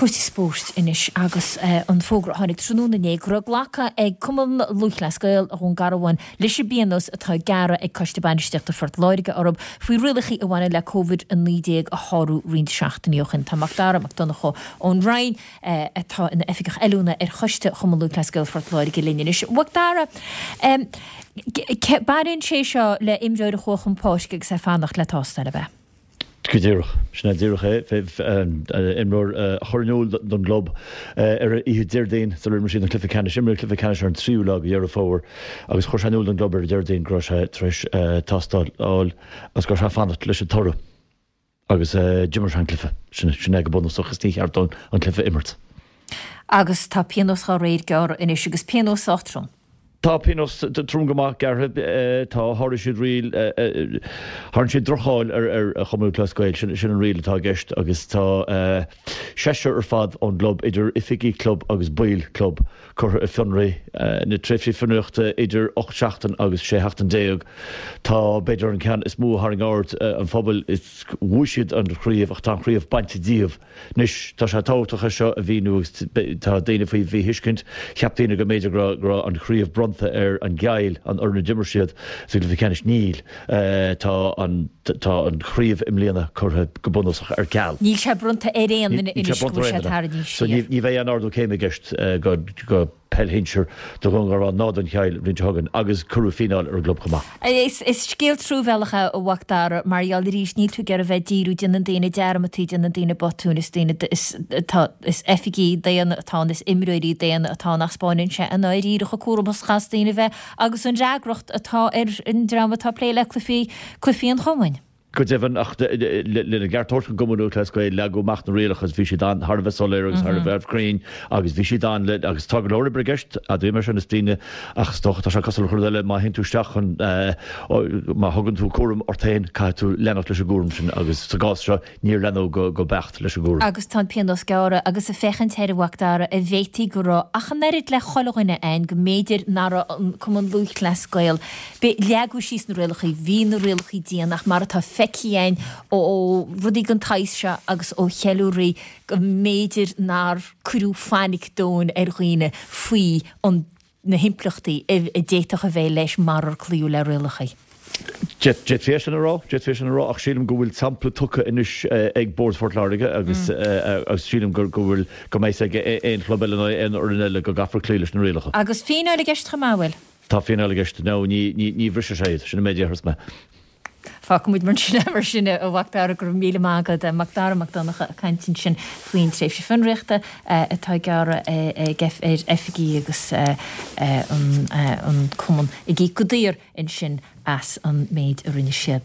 Cúrsaí spóirt anois agus an fógra a tháinig tráthnóna inné go raibh glactha ag Cumann Lúthchleas Gael Dhún Garbhán leis an bpionós atá gearrtha ag Coiste Bainistíochta Phort Láirge orthu faoi rialacha a bhaineann le Covid-19 a shárú roinnt seachtainí ó shin. Tá Macdara Mac Donncha ón Rinn, atá ina Oifigeach Oiliúna ar Choiste Chumann Lúthchleas Gael Phort Láirge linn anois. Macdara, baineann sé seo le imreoir a chuaigh chun páirce agus é ag fanacht le tástáil, ab ea? Go díreach. Sin é díreach é. Imreoir a chuir in iúl don gclub ar oíche Déardaoin sular imir siad an cluiche ceannais. Imríodh an cluiche ceannais ar an tríú lá de Dheireadh Fómhair agus chuir sé in iúl don gclub ar an Déardaoin go raibh sé tar éis tástáil a fháil agus go raibh sé ag fanacht leis an toradh agus d'imir sé an cluiche. Sin é go bunúsach is ní cheart dó an cluiche a imirt. Agus tá pionós dá réir gearrtha anois agus pionós sách trom. Tá pionós trom go maith gearrtha. Tá, sháraigh siad riail, tharraing siad droch-cháil ar Chumann Lúthchleas Gael, sin an riail atá i gceist agus tá seisear ar fad ón gclub, idir oifigigh club agus baill club, curtha ar fionraí. Na tréimhsí fionraíochta idir 8 seachtain agus 16 sheachtain. Tá, b'fhéidir, an ceann is mó a tharraing aird an phobail, is bhuaigh siad an chraobh ach tá an chraobh bainte díobh. Anois, tá sé tábhachtach é seo a mhíniú agus tá daoine faoi mhíthuiscint. Cheap daoine go mb'fhéidir go raibh an chraobh bronnta ar an gCill, an fhoireann a d'imir siad sa gcluiche ceannais. Níl. Tá an tá an chraobh i mbliana curtha go bunúsach ar ceal. Níl sé bronnta ar aon duine anois go bhfuil sé tarraingthe siar. So ní bheidh aon ardú céime i gceist go. peil shinsir do Dhún Garbhán ná don Chill an bhliain seo chugainn agus cuireadh fíneáil ar an gclub chomh maith. Is scéal truamhéalach é a Mhac Dara, mar gheall arís níl tú ag iarraidh bheith ag díriú, déanann daoine dearmadtaí, déanann daoine botúin, is daoine, is tá, is oifigigh daonna atá ann, is imreoirí daonna atá ann ach 'spáineann sé i ndáiríre chomh cúramach is a chaithfeas daoine a bheith agus an fhreagracht atá ar an dream atá ag plé le cluichí, cluichí an chumainn. Go deimhin, ach lena gceart a thabhairt don gCumann Lúthchleas Gael, leagadh amach na rialacha agus bhí siad an, thar a bheith soiléir agus thar a bheith cruinn agus bhí siad an, le, agus tá go leor oibre i gceist, admhaím é sin, is daoine, ach is dócha, tá sé cosúil le chuile rud eile, má théann tú isteach chun, má thugann tú cúram ort féin, caithfidh tú leanacht leis an gcúram sin agus sa gcás seo, Níor leanadh go beacht leis an gcúram. Agus tá an pionós gearrtha agus ag féachaint air a Mhac Dara an bhféadfaí go raibh ach an oiread le chuile dhuine ann go mb'fhéidir nach raibh an Cumann Lúthchleas Gael b'é leagadh síos na rialacha bhí na rialacha dian ach mar atá feicthe againn ó rudaí den tsaghas seo agus ó cheiliúraí go mb'fhéidir nár cuireadh fainic domhain ar dhaoine faoi an na himpleachtaí a d'fhéadfadh a bheith leis marar cloíodh le rialacha. D'fhéadfaí é sin a rá, d'fhéadfaí é sin a rá, ach sílim go bhfuil sampla tugtha anois ag Bord Phort Láirge agus agus sílim go go bhfuil, go mbeidh ag aon chlub eile nó aon fhoireann eile go gcaithfear cloí leis na rialacha. Agus fíneáil i gceist chomh maith, an bhfuil? Tá fíneáil i gceist. No, ní, ní, ní bhrisfidh sé iad, sin an méid a déarfas mé. Fágfaidh muid mar sin é mar sin a Mhac Dara, go raibh míle maith agat. Mac Dara Mac Donncha ag caint ansin faoin tréimhse fionraíochta atá gearrtha ag ar oifigigh agus an cumann ag íoc go daor ansin as an méid a rinne siad.